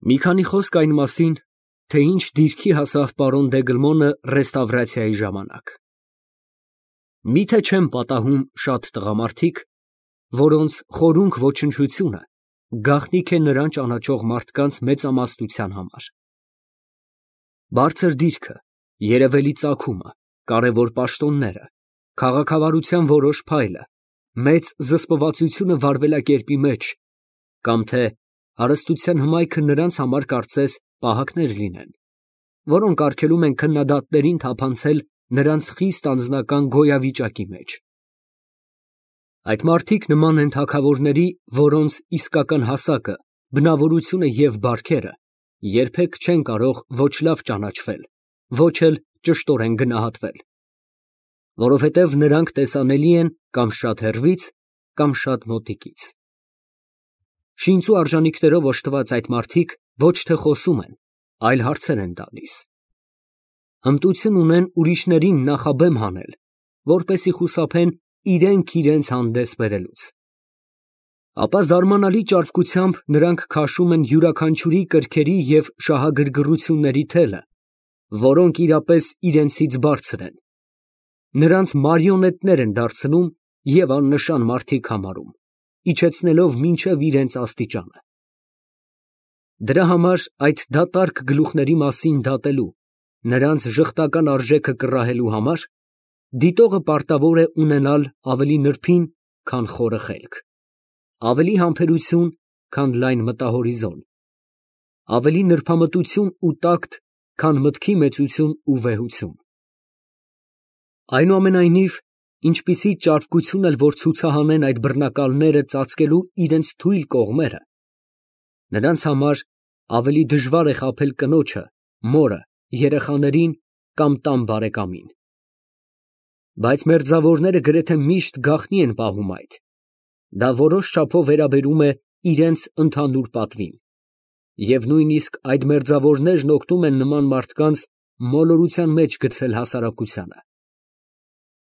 Մի քանի խոսք այն մասին, թե ինչ դիրքի հասավ պարոն Դեգլմոնը ռեստավրացիայի ժամանակ։ Միթե չեն պատահում շատ տղամարդիկ, որոնց խորունկ ոչնչությունը գաղտնիք է նրան ճանաչող մարդկանց մեծամասնության համար։ Բարձր դիրքը, երևելի ծագումը, կարևոր պաշտոնները, քաղաքավարության որոշ փայլը, մեծ զսպվածությունը վարվելակերպի մեջ, կամ թե հարստության հմայքը նրանց համար կարծես պահակներ լինեն, որոնք արգելում են քննադատներին թափանցել նրանց խիստ անձնական գոյավիճակի մեջ։ Այդ մարդիկ նման են թագավորների, որոնց իսկական հասակը, բնավորությունը և բարքերը երբեք չեն կարող ոչ լավ ճանաչվել, ոչ էլ ճշտորեն գնահատվել, որովհետև նրանք տեսանելի են կամ շատ հեռվից, կամ շատ մոտիկից։ Շինծու արժանիքներով օժտված այդ մարդիկ ոչ թե խոսում են, այլ հարցեր են տալիս։ Հմտություն ունեն ուրիշներին նախաբեմ հանել, որպեսզի խուսափեն իրենք իրենց հանդես բերելուց։ Ապա զարմանալի ճարպկությամբ նրանք քաշում են յուրաքանչյուրի կրքերի և շահագրգռությունների թելը, որոնք իրապես իրենցից բարձր են, նրանց մարիոնետներ են դարձնում և աննշան մարդիկ համարում, իջեցնելով մինչև իրենց աստիճանը։ Դրա համար այդ դատարկ գլուխների մասին դատելու, նրանց ժխտական արժեքը կռահելու համար, դիտողը պարտավոր է ունենալ ավելի նրբին, քան խորը խելք, ավելի համբերություն, քան լայն մտահորիզոն, ավելի նրբամտություն ու տակտ, քան մտքի մեծություն ու վեհություն։ Այնուամենայնիվ, ինչպիսի ճարպկություն էլ որ ցուցահանեն այդ բռնակալները ծածկելու իրենց թույլ կողմերը, նրանց համար ավելի դժվար է խաբել կնոջը, մորը, երեխաներին կամ տան բարեկամին։ Բայց մերձավորները գրեթե միշտ գաղտնի են պահում այդ, դա որոշ չափով վերաբերում է իրենց ընդհանուր պատվին, և նույնիսկ այդ մերձավորներն օգնում են նման մարդկանց մոլորության մեջ գցել հասարակությանը։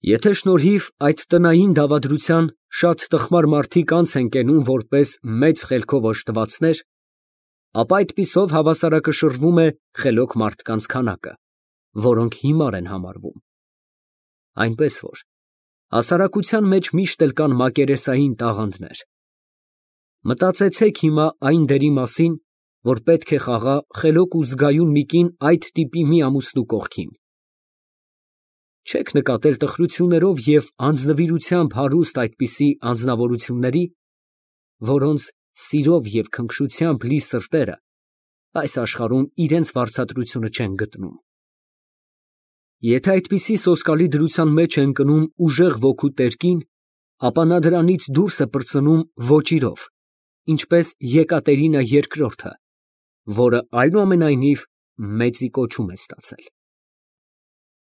Եթե շնորհիվ այդ տնային դավադրության շատ տխմար մարդիկ անց են կենում որպես մեծ խելքով օժտվածներ, ապա այդպիսով հավասարակշռվում է խելոք մարդկանց քանակը, որոնք հիմար են համարվում։ Այնպես որ հասարակության մեջ միշտ էլ կան մակերեսային տաղանդներ։ Մտածեցեք հիմա այն դերի մասին, որ պետք է խաղա խելոք ու զգայուն մի կին այդ տիպի մի ամուսնու կողքին։ Չեք նկատել տխրություններով և անձնվիրությամբ հարուստ այդպիսի անձնավորությունների, որոնց սիրով և քնքշությամբ լի սրտերը այս աշխարհում իրենց վարձատրությունը չեն գտնում։ Եթե այդպիսի սոսկալի դրության մեջ է ընկնում ուժեղ ոգու տերկին, ապա նա դրանից դուրս է պրծնում ոճիրով, ինչպես Եկատերինա II, որը այնուամենայնիվ մեծի կոչում է ստացել։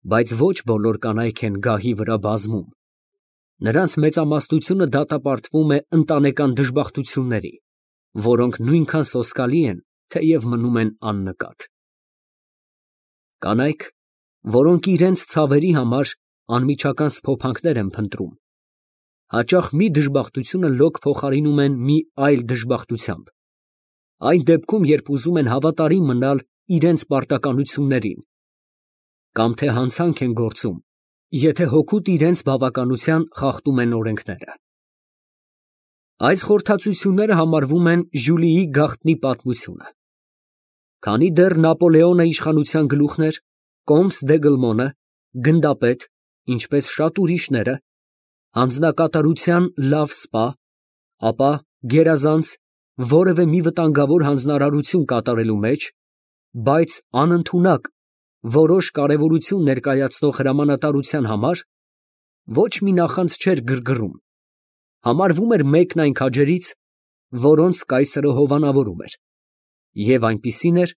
Բայց ոչ բոլոր կանայք են գահի վրա բազում, նրանց մեծամասնությունը դատապարտվում է ընտանեկան դժբախտությունների, որոնք նույնքան սոսկալի են, թեև մնում են աննկատ։ Կանայք, որոնք իրենց ցավերի համար անմիջական սփոփանքներ են փնտրում, հաճախ մի դժբախտությունը լոկ փոխարինում են մի այլ դժբախտությամբ, այն դեպքում, երբ ուզում են հավատարիմ մնալ իրենց պարտականություններին, կամ թե հանցանք են գործում, եթե հօգուտ իրենց բավականության խախտում են օրենքները։ Այս խորհրդածությունները համարվում են Ժյուլիի գաղտնի պատմությունը։ Քանի դեռ Նապոլեոնը իշխանության գլուխն էր, կոմս Դեգլմոնը, գնդապետ, ինչպես շատ ուրիշները, հանձնակատարության լավ սպա, ապա գերազանց որևէ մի վտանգավոր հանձնարարություն կատարելու մեջ, բայց անընդունակ որոշ կարևորություն ներկայացնող հրամանատարության համար ոչ մի նախանձ չէր գրգռում, համարվում էր մեկն այն քաջերից, որոնց կայսրը հովանավորում էր, և այնպիսին էր,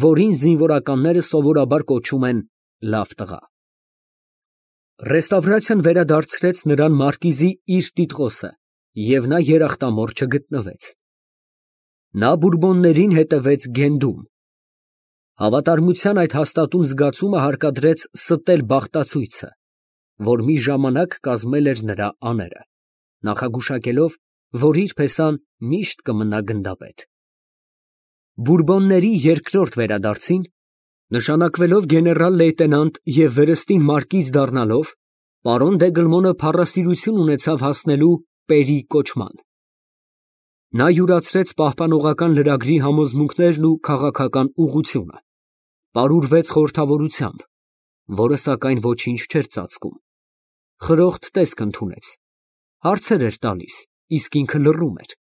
որին զինվորականները սովորաբար կոչում են լավ տղա։ Ռեստավրացիան վերադարձրեց նրան մարկիզի իր տիտղոսը, և նա երախտամոռ չգտնվեց։ Նա Բուրբոններին հետևեց Գենդում։ Հավատարմության այդ հաստատուն զգացումը հարկադրեց ստել բախտացույցը, որ մի ժամանակ կազմել էր նրա աները, նախագուշակելով, որ իր փեսան միշտ կմնա գնդապետ։ Բուրբոնների երկրորդ վերադարձին, նշանակվելով գեներալ լեյտենանտ և վերստին մարկիզ դառնալով, պարոն Դեգլմոնը փառասիրություն ունեցավ հասնելու Պերի կոչման։ Նա յուրացրեց պահպանողական լրագրի համոզմունքներն ու քաղաքական ուղղությունը, պարուրվեց խորհրդավորությամբ, որը սակայն ոչինչ չէր ծածկում, խրոխտ տեսք ընդունեց, հարցեր էր տալիս, իսկ ինքը լռում էր,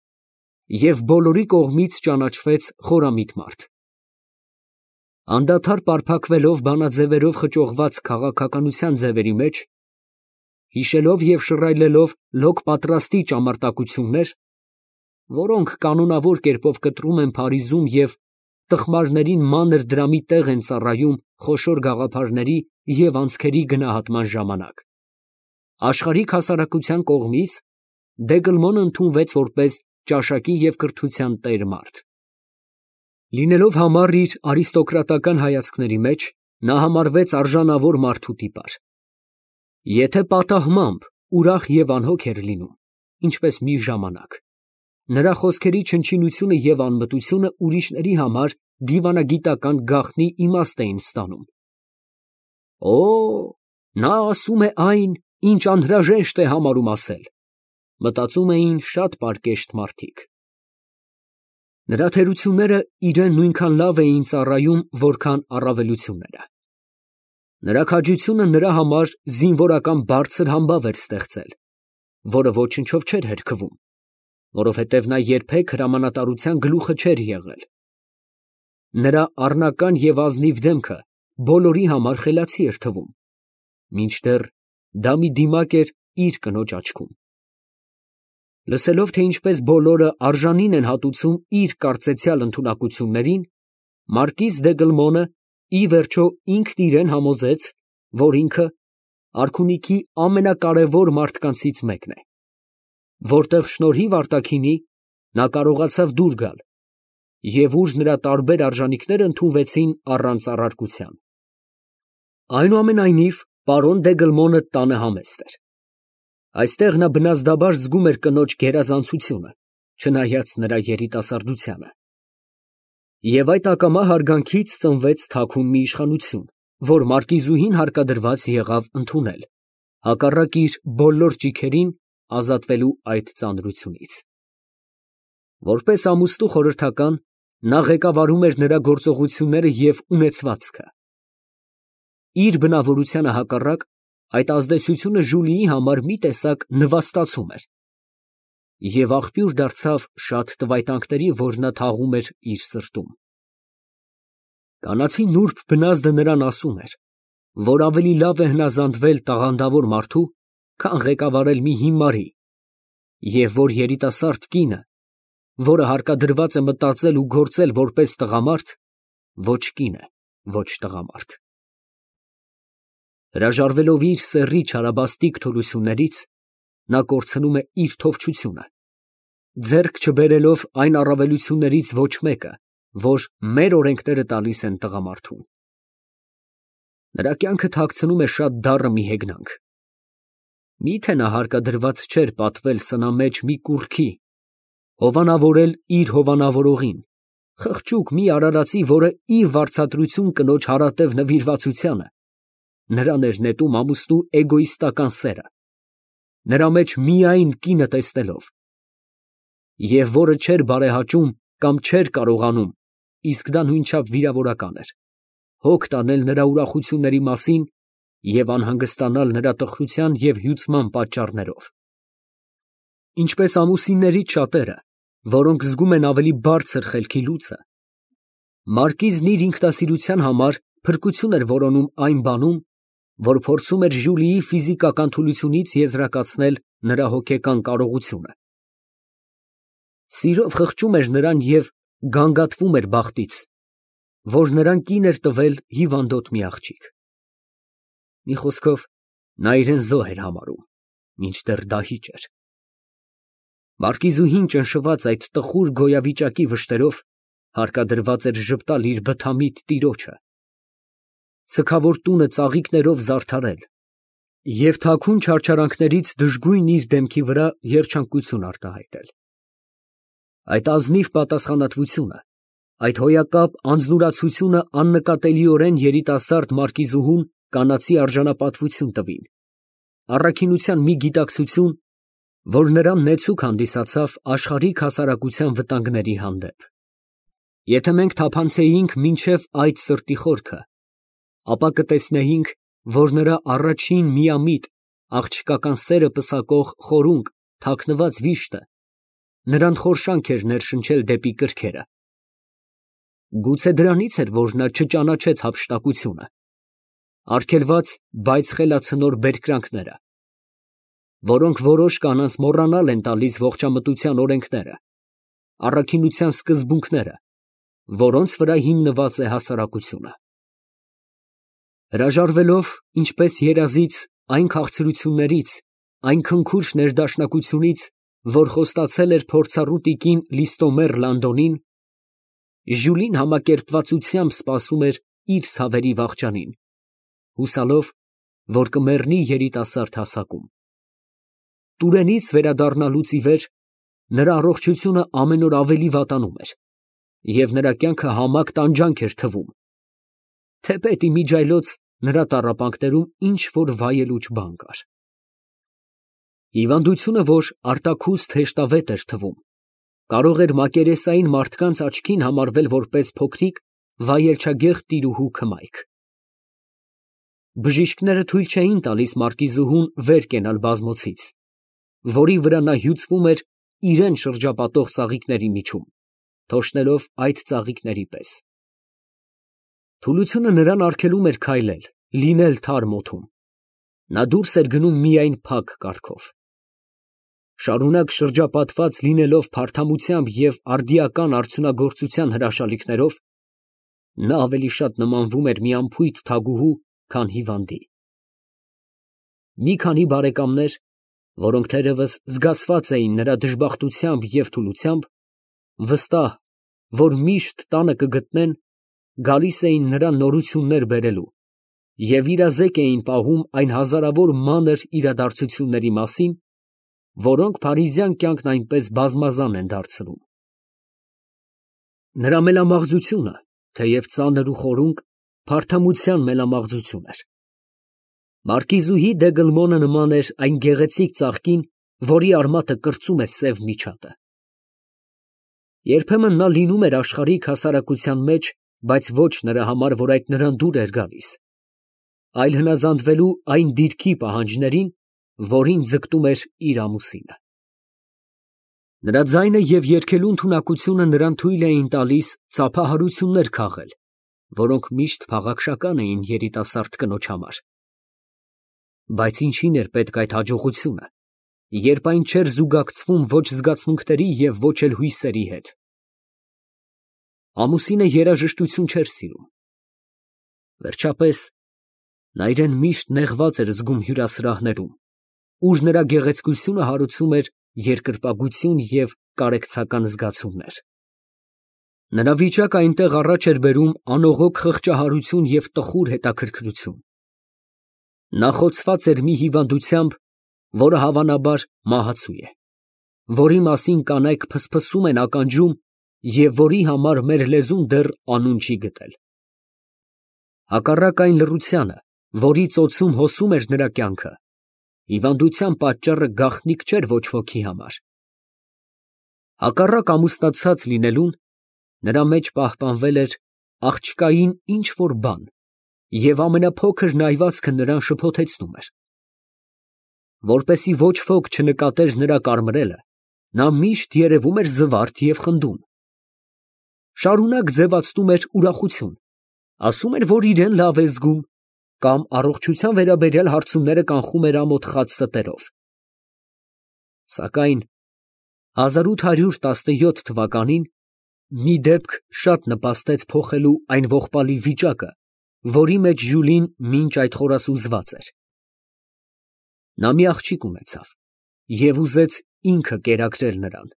և բոլորի կողմից ճանաչվեց խորամիտ մարդ։ Անդադար պարփակվելով բանաձևերով խճողված քաղաքականության ձևերի մեջ, հիշելով և շռայլելով լոկ պատրաստի ճամարտակություններ, որոնք կանոնավոր կերպով կտրում են Փարիզում և տխմարներին մանր դրամի տեղ են ծառայում խոշոր գաղափարների և անցքերի գնահատման ժամանակ, աշխարհիկ հասարակության կողմից Դեգլմոնը ընդունվեց որպես ճաշակի և կրթության տեր մարդ։ Լինելով համառ իր արիստոկրատական հայացքների մեջ, նա համարվեց արժանավոր մարդու տիպար։ Եթե պատահմամբ ուրախ և անհոգ էր լինում, ինչպես մի ժամանակ, նրա խոսքերի չնչինությունը և անմտությունը ուրիշների համար դիվանագիտական գաղտնի իմաստ էին ստանում։ «Օ, նա ասում է այն, ինչ անհրաժեշտ է համարում ասել», մտածում էին շատ պարկեշտ մարդիկ։ Նրա թերությունները իրան նույնքան լավ էին ծառայում, որքան առավելությունները։ Նրա քաջությունը նրա համար զինվորական բարձր համբավ էր ստեղծել, որը ոչնչով չէր հերքվում, որովհետև նա երբեք հրամանատարության գլուխը չէր եղել։ Նրա առնական և ազնիվ դեմքը բոլորի համար խելացի էր թվում, մինչդեռ դա մի դիմակ էր իր կնոջ աչքում։ Լսելով, թե ինչպես բոլորը արժանին են հատուցում իր կարծեցյալ ընդունակություններին, մարկիզ Դեգլմոնը ի վերջո ինքն իրան համոզեց, որ ինքը արքունիքի ամենակարևոր մարդկանցից մեկն է, որտեղ շնորհիվ արտաքինի նա կարողացավ դուր գալ և ուր նրա տարբեր արժանիքները ընդունվեցին առանց առարկության։ Այնուամենայնիվ, պարոն Դեգլմոնը տանը համեստ էր։ Այստեղ նա բնազդաբար զգում էր կնոջ գերազանցությունը, չնայած նրա երիտասարդությանը։ Եվ այդ ակամա հարգանքից ծնվեց թաքուն մի իշխանություն, որ մարկիզուհին հարկադրված եղավ ընդունել, հակառակ իր բոլոր ճիգերին ազատվելու այդ ծանրությունից։ Որպես ամուսնու խորհրդական, նա ղեկավարում էր նրա գործողությունները և ունեցվածքը։ Իր բնավորությանը հակառակ, այդ ազդեցությունը Ժուլիի համար մի տեսակ նվաստացում էր և աղբյուր դարձավ շատ տվայտանքների, որ նա թաղում էր իր սրտում։ Կանացի նուրբ բնազդը նրան ասում էր, որ ավելի լավ է հնազանդվել տաղանդավոր մարդու, քան ղեկավարել մի հիմարի, և որ երիտասարդ կինը, որը հարկադրված է մտածել ու գործել որպես տղամարդ, ոչ կին է, ոչ տղամարդ։ Հրաժարվելով իր սեռի չարաբաստիկ թուլություններից, նա կորցնում է իր թովչությունը, ձեռք չբերելով այն առավելություններից ոչ մեկը, որ մեր օրենքները տալիս են տղամարդուն։ Նրա կյանքը թաքցնում է շատ դառը մի հեգնանք։ Մի՞թե նա հարկադրված չէր պատվել սնամեջ մի կուռքի, հովանավորել իր հովանավորողին, խղճուկ մի արարածի, որը ի վարձատրություն կնոջ հարատև նվիրվածությանը նրան էր նետում ամուսնու էգոիստական սերը, նրա մեջ միայն կինը տեսնելով, և որը չէր բարեհաճում կամ չէր կարողանում, իսկ դա նույնչափ վիրավորական էր, հոգ տանել նրա ուրախությունների մասին և անհանգստանալ նրա տխրության և հյուծման պատճառներով։ Ինչպես ամուսիններից շատերը, որոնք զգում են ավելի բարձր խելքի լուծը, մարկիզն իր ինքնասիրության համար փրկություն էր որոնում այն բանում, որ փորձում էր Ժուլիի ֆիզիկական թուլությունից եզրակացնել նրա հոգեկան կարողությունը։ Սիրով խղճում էր նրան և գանգատվում էր բախտից, որ նրան կին էր տվել հիվանդոտ մի աղջիկ։ Մի խոսքով, նա իրան զոհ էր համարում, մինչդեռ դահիճ էր։ Մարկիզուհին ճնշված այդ տխուր գոյավիճակի վշտերով հարկադրված էր ժպտալ իր բթամիտ տիրոջը, սգավոր տունը ծաղիկներով զարդարել և թաքուն չարչարանքներից դժգույն իր դեմքի վրա երջանկություն արտահայտել։ Այդ ազնիվ պատասխանատվությունը Այդ հոյակապ անձնուրացությունը աննկատելիորեն երիտասարդ մարկիզուհուն կանացի արժանապատվություն տվին, առաքինության մի գիտակցություն, որ նրան նեցուկ հանդիսացավ աշխարհիկ հասարակության վտանգների հանդեպ։ Եթե մենք թափանցեինք մինչև այդ սրտի խորքը, ապա կտեսնեինք, որ նրա առաջին միամիտ աղջկական սերը պսակող խորունկ թաքնված վիշտը նրան խորշանք էր ներշնչել դեպի կրքերը։ Գուցե դրանից էր, որ նա չճանաչեց հափշտակությունը, արգելված, բայց խելացնոր բերկրանքները, որոնք որոշ կանանց մոռանալ են տալիս ողջամտության օրենքները, առաքինության սկզբունքները, որոնց վրա հիմնված է հասարակությունը։ Հրաժարվելով, ինչպես երազից, այն քաղցրություններից, այն քնքուշ ներդաշնակությունից, որ խոստացել էր փորձառու տիկին Լիստոմեր Լանդոնին, Ժյուլին համակերպվածությամբ սպասում էր իր ցավերի վախճանին, հուսալով, որ կմեռնի երիտասարդ հասակում։ Տուրենից վերադառնալուց ի վեր նրա առողջությունը ամեն օր ավելի վատանում էր, և նրա կյանքը համակ տանջանք էր թվում, թեպետ իմիջիայլոց նրա տառապանքներում ինչ-որ վայելուչ բան կար։ Հիվանդությունը, որ արտաքուստ հեշտավետ էր թվում, կարող էր մակերեսային մարդկանց աչքին համարվել որպես փոքրիկ վայելչագեղ տիրուհու քմայք։ Բժիշկները թույլ չէին տալիս մարկիզուհուն վեր կենալ բազմոցից, որի վրա նա հյուծվում էր իրան շրջապատող ծաղիկների միջում, թոշնելով այդ ծաղիկների պես։ Թուլությունը նրան արգելում էր քայլել, լինել թարմ օդում։ Նա դուրս էր գնում միայն փակ կառքով։ Շարունակ շրջապատված լինելով փարթամությամբ և արդիական արդյունագործության հրաշալիքներով, նա ավելի շատ նմանվում էր մի անփույթ թագուհու, քան հիվանդի։ Մի քանի բարեկամներ, որոնք թերևս զգացված էին նրա դժբախտությամբ և թուլությամբ, վստահ, որ միշտ տանը կգտնեն, գալիս էին նրան նորություններ բերելու և իրազեկ էին պահում այն հազարավոր մանր իրադարձությունների մասին, որոնք փարիզյան կյանքն այնպես բազմազան են դարձնում։ Նրա մելամաղձությունը, թեև ծանր ու խորունկ, փարթամության մելամաղձություն էր։ Մարկիզուհի դե Գլմոնը նման էր այն գեղեցիկ ծաղկին, որի արմատը կրծում է սև միջատը։ Երբեմն նա լինում էր աշխարհիկ հասարակության մեջ, բայց ոչ նրա համար, որ այդ նրան դուր էր գալիս, այլ հնազանդվելու այն դիրքի պահանջներին, որին ձգտում էր իր ամուսինը։ Նրա ձայնը և երգելու ընդունակությունը նրան թույլ էին տալիս ծափահարություններ քաղել, որոնք միշտ փաղաքշական էին երիտասարդ կնոջ համար։ Բայց ինչին էր պետք այդ հաջողությունը, երբ այն չէր զուգակցվում ոչ զգացմունքների և ոչ էլ հույսերի հետ։ Ամուսինը երաժշտություն չէր սիրում։ Վերջապես, նա իրան միշտ նեղված էր զգում հյուրասրահներում, ուր նրա գեղեցկությունը հարուցում էր երկրպագություն և կարեկցական զգացումներ։ Նրա վիճակը այնտեղ առաջ էր բերում անողոք խղճահարություն և տխուր հետաքրքրություն։ Նա խոցված էր մի հիվանդությամբ, որը հավանաբար մահացու է, որի մասին կանայք փսփսում են ականջում և որի համար մեր լեզուն դեռ անուն չի գտել։ Հակառակ այն լռությանը, որի ծոցում հոսում էր նրա կյանքը, հիվանդության պատճառը գաղտնիք չէր ոչ ոքի համար։ Հակառակ ամուսնացած լինելուն, նրա մեջ պահպանվել էր աղջկային ինչ֊որ բան, և ամենափոքր նայվածքը նրան շփոթեցնում էր։ Որպեսզի ոչ ոք չնկատեր նրա կարմրելը, նա միշտ երևում էր զվարթ և խնդուն։ Շարունակ ձևացնում էր ուրախություն, ասում էր, որ իրան լավ է զգում, կամ առողջության վերաբերյալ հարցումները կանխում էր ամոթ խած ստերով։ Սակայն 1817 թվականին մի դեպք շատ նպաստեց փոխելու այն ողբալի վիճակը, որի մեջ Ժյուլին մինչ այդ խորասուզված էր։ Նա մի աղջիկ ունեցավ և ուզեց ինքը կերակրել նրան։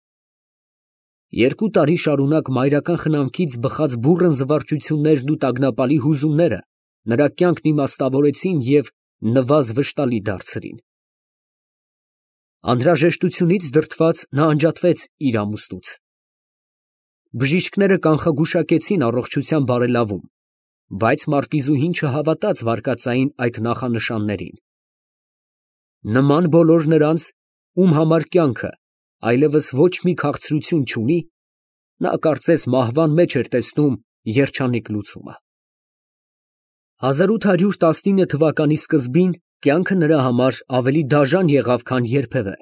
2 տարի շարունակ մայրական խնամքից բխած բուռն զվարճություններն ու տագնապալի հուզումները նրա կյանքն իմաստավորեցին և նվազ վշտալի դարձրին։ Անհրաժեշտությունից դրդված նա անջատվեց իր ամուսնուց։ Բժիշկները կանխագուշակեցին առողջության բարելավում, բայց մարկիզուհին չհավատաց վարկածային այդ նախանշաններին։ Նման բոլոր նրանց, ում համար կյանքը այլևս ոչ մի քաղցրություն չունի, նա կարծես մահվան մեջ էր տեսնում երջանիկ լուծումը։ 1819 թվականի սկզբին կյանքը նրա համար ավելի դաժան եղավ, քան երբևէ։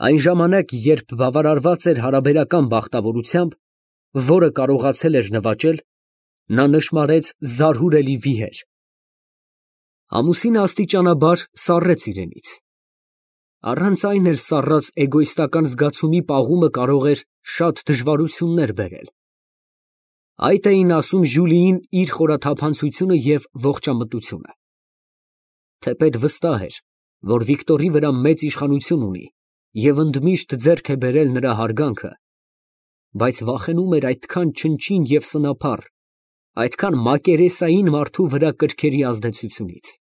Այն ժամանակ, երբ բավարարված էր հարաբերական բախտավորությամբ, որը կարողացել էր նվաճել, նա նշմարեց զարհուրելի վիհեր։ Ամուսինը աստիճանաբար սառեց իրենից։ Առանց այն էլ սառած էգոիստական զգացումի պաղումը կարող էր շատ դժվարություններ բերել։ Այդ էին ասում Ժյուլիին իր խորաթափանցությունը և ողջամտությունը։ Թեպետ վստահ էր, որ Վիկտորի վրա մեծ իշխանություն ունի և ընդմիշտ ձեռք է բերել նրա հարգանքը, բայց վախենում էր այդքան չնչին և սնափառ, այդքան մակերեսային մարդու վրա կրքերի ազդեցությունից։